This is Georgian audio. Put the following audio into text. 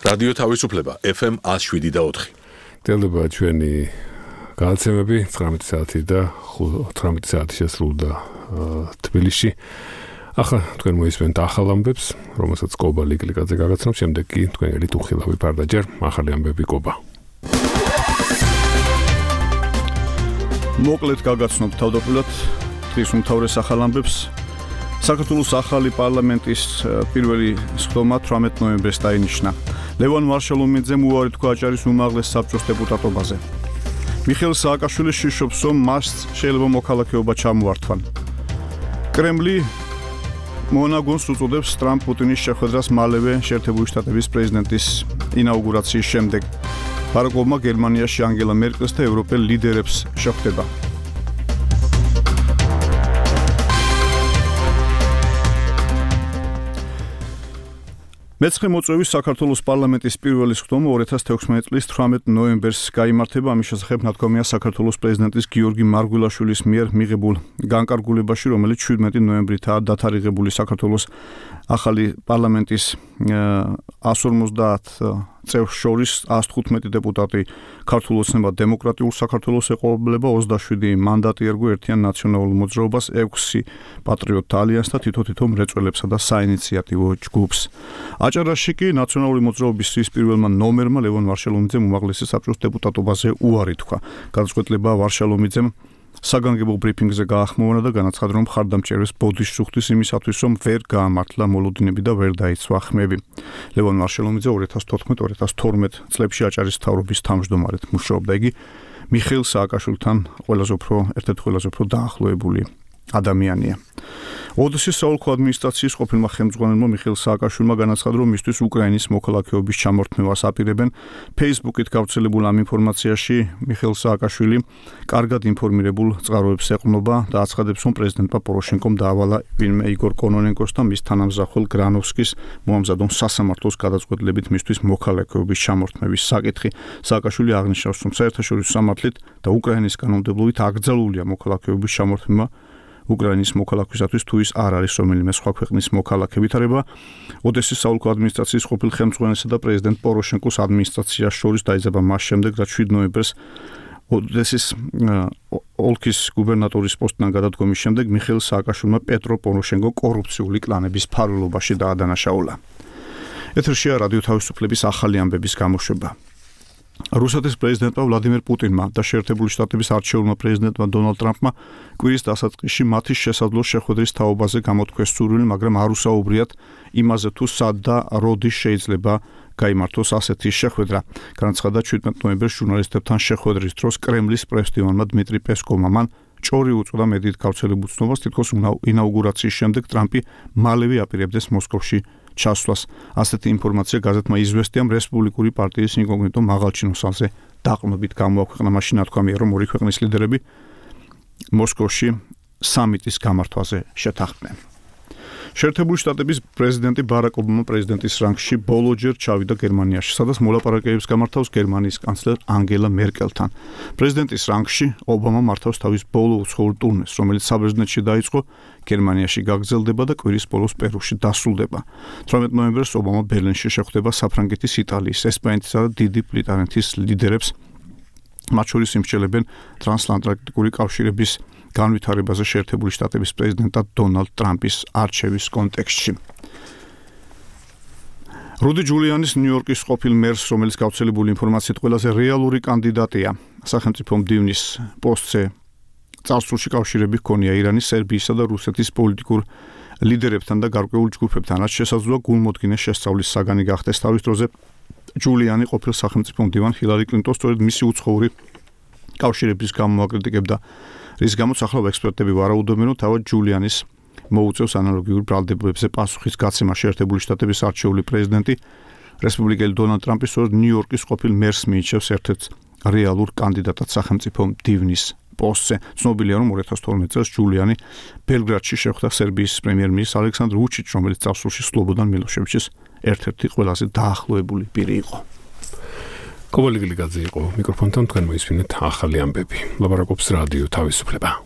რადიო თავისუფლება FM 107.4. დელდება ჩვენი გადაცემები 19 საათი და 18 საათი შესრულდა თბილისში. ახლა თქვენ მოისმენთ ახალ ამბებს, რომელსაც კობა ლიგლიკაძე გაგაცნობს, შემდეგ კი თქვენელი ტუხილავი პარდაჯერ ახალი ამბები კობა. მოკლედ გაგაცნობთ თავდაპირველად დღის უმთავრეს ახალ ამბებს. საქართველოს ახალი პარლამენტის პირველი სხდომა 18 ნოემბერს დაინიშნა. ლევან ვარშალომიძემ უარი თქვა აჭარის უმაღლეს საბჭოს დეპუტატობაზე. მიხეილ სააკაშვილის შიშობს, რომ მას შეიძლება მოქალაქეობა ჩამოართვან. კრემლი მონაგონს უწოდებს ტრამპ-პუტინის შეხვედრას მალევე შეერთებული შტატების პრეზიდენტის ინაუგურაციის შემდეგ. ბარაკ ობამა გერმანიაში ანგელა მერკელს და ევროპელ ლიდერებს შეხვდება. მეცხრე მოწვევის საქართველოს პარლამენტის პირველი სხდომა 2016 წლის 18 ნოემბერს გაიმართება. ამის შესახებ ნათქვამია საქართველოს პრეზიდენტის გიორგი მარგველაშვილის მიერ მიღებულ განკარგულებაში, რომელიც 17 ნოემბრითაა დათარიღებული. საქართველოს ახალი პარლამენტის 150 წევრს შორის 115 დეპუტატი ქართულ ოცნება დემოკრატიულ საქართველოს ეყოლებება, 27 მანდატი ერგო ერთიან ნაციონალურ მოძრაობას, 6 პატრიოტთა ალიანსს და თითო მრეწველებსა და საინიციატივო ჯგუფს. აჭარაში კი ნაციონალური მოძრაობის პირველმა ნომერმა ლევან ვარშალომიძემ უმაღლესი საბჭოს დეპუტატობაზე უარი თქვა. გადაწყვეტილება ვარშალომიძემ საგანგებო ბრიფინგზე გაახმოვანა და განაცხადა, რომ მხარდამჭერებს ბოდიშს იმისათვის, რომ ვერ გაამართლა მოლოდინები და ვერ დაიცვა ხმები. ლევან ვარშალომიძე 2014-2012 წლებში აჭარის მთავრობის თავმჯდომარედ მუშაობდა. იგი მიხეილ სააკაშვილთან ერთ-ერთი ყველაზე უფრო დაახლოებული ადამიანია. ოდესის საოლქო ადმინისტრაციის ყოფილმა ხელმძღვანელმა მიხეილ სააკაშვილმა განაცხადა, რომ მისთვის უკრაინის მოქალაქეობის ჩამორთმევას აპირებენ. Facebook-ით გავრცელებულ ამ ინფორმაციაში მიხეილ სააკაშვილი კარგად ინფორმირებულ წყაროებს ეყრდნობა და აცხადებს, რომ პრეზიდენტმა პოროშენკომ დაავალა ვინმე იგორ კონონენკოს და მის თანამზახველ გრანოვსკის მოამზადონ სასამართლოს გადაწყვეტილებით მისთვის მოქალაქეობის ჩამორთმევის საკითხი. სააკაშვილი აღნიშნავს, რომ საერთაშორისო სამართლით და უკრაინის კანონმდებლობით აკრძალულია მოქალაქეობის ჩამორთმევა უკრაინის მოქალაქისათვის, თუ ის არ არის რომელიმე სხვა ქვეყნის მოქალაქე. ვითარება ოდესის საოლქო ადმინისტრაციის ყოფილ ხელმძღვანელსა და პრეზიდენტ პოროშენკოს ადმინისტრაციას შორის დაიძაბა მას შემდეგ, რაც 7 ნოემბერს ოდესის ოლქის გუბერნატორის პოსტიდან გადადგომის შემდეგ მიხეილ სააკაშვილმა პეტრო პოროშენკო კორუფციული კლანების ფარველობაში დაადანაშაულა. ეთერშია რადიო თავისუფლების ახალი ამბების გამოშვება. რუსეთის პრეზიდენტმა ვლადიმერ პუტინმა და შეერთებული შტატების არჩეულმა პრეზიდენტმა დონალდ ტრამპმა კვირის დასაწყისში მათი შესაძლო შეხვედრის თაობაზე გამოთქვეს სურვილი, მაგრამ არ უსაუბრიათ იმაზე, თუ სად და როდის შეიძლება გაიმართოს ასეთი შეხვედრა. განაცხადა 17 ნოემბერს ჟურნალისტებთან შეხვედრის დროს კრემლის პრესდივანმა დმიტრი პესკოვმა. მან ჭორი უწოდა მედიით გავრცელებულ ცნობას, თითქოს ინაუგურაციის შემდეგ ტრამპი მალევე აპირებდეს მოსკოვში ჩასვლას. ასეთი ინფორმაცია გაზეთმა იზვესტიამ რესპუბლიკური პარტიის ინკოგნიტო მაღალჩინოსანზე დაყრდნობით გამოაქვეყნა. მაშინ ნათქვამია, რომ ორი ქვეყნის ლიდერები მოსკოვში სამიტის გამართვაზე შეთანხმდნენ. შეერთებული შტატების პრეზიდენტი ბარაკ ობამა პრეზიდენტის რანგში ბოლოჯერ ჩავიდა გერმანიაში, სადაც მოლაპარაკებებს გამართავს გერმანიის კანცლერ ანგელა მერკელთან. პრეზიდენტის რანგში ობამა მართავს თავის ბოლო უცხოურ ტურნეს, რომელიც საბერძნეთში დაიწყო, გერმანიაში გაგრძელდება და კვირის ბოლოს პერუში დასრულდება. 18 ნოემბერს ობამა ბერლინში შეხვდება საფრანგეთის, იტალიის, ესპანეთისა და დიდი ბრიტანეთის ლიდერებს. მათ შორის იმსჯელებენ ტრანსატლანტიკური კავშირების განვითარებაზე შეერთებული შტატების პრეზიდენტად დონალდ ტრამპის არჩევის კონტექსტში. რუდი ჯულიანის ნიუ-იორკის ყოფილ მერს, რომელიც გავრცელებული ინფორმაციით ყველაზე რეალური კანდიდატია სახელმწიფო მდივნის პოსტზე, წარსულში კავშირები ჰქონია ირანის, სერბიისა და რუსეთის პოლიტიკურ ლიდერებთან და გარკვეულ ჯგუფებთან, რაც შესაძლოა გულმოდგინე შესწავლის საგანი გახდეს. თავის დროზე ჯულიანი ყოფილ სახელმწიფო მდივან ჰილარი კლინტონს სწორედ მისი უცხოური კავშირების გამო აკრიტიკებდა, რის გამოც ახლა ექსპერტები ვარაუდობენ, რომ თავად ჯულიანის მოუწევს ანალოგიურ ბრალდებებზე პასუხის გაცემა. შეერთებული შტატების არჩეული პრეზიდენტი რესპუბლიკელი დონალდ ტრამპი სწორედ ნიუ-იორკის ყოფილ მერს მიიჩნევს ერთ-ერთ რეალურ კანდიდატად სახელმწიფო მდივნის პოსტზე. ცნობილია, რომ 2012 წელს ჯულიანი ბელგრადში შეხვდა სერბიის პრემიერ-მინისტრს ალექსანდრ ვუჩიჩს, რომელიც წარსულში სლობოდან მილოშევიჩის ერთ-ერთი ყველაზე დაახლოებული პირი იყო. კობა ლიგლიკაძე იყო მიკროფონთან, თქვენ მოისმინეთ ახალი ამბები. ლაპარაკობს რადიო თავისუფლება.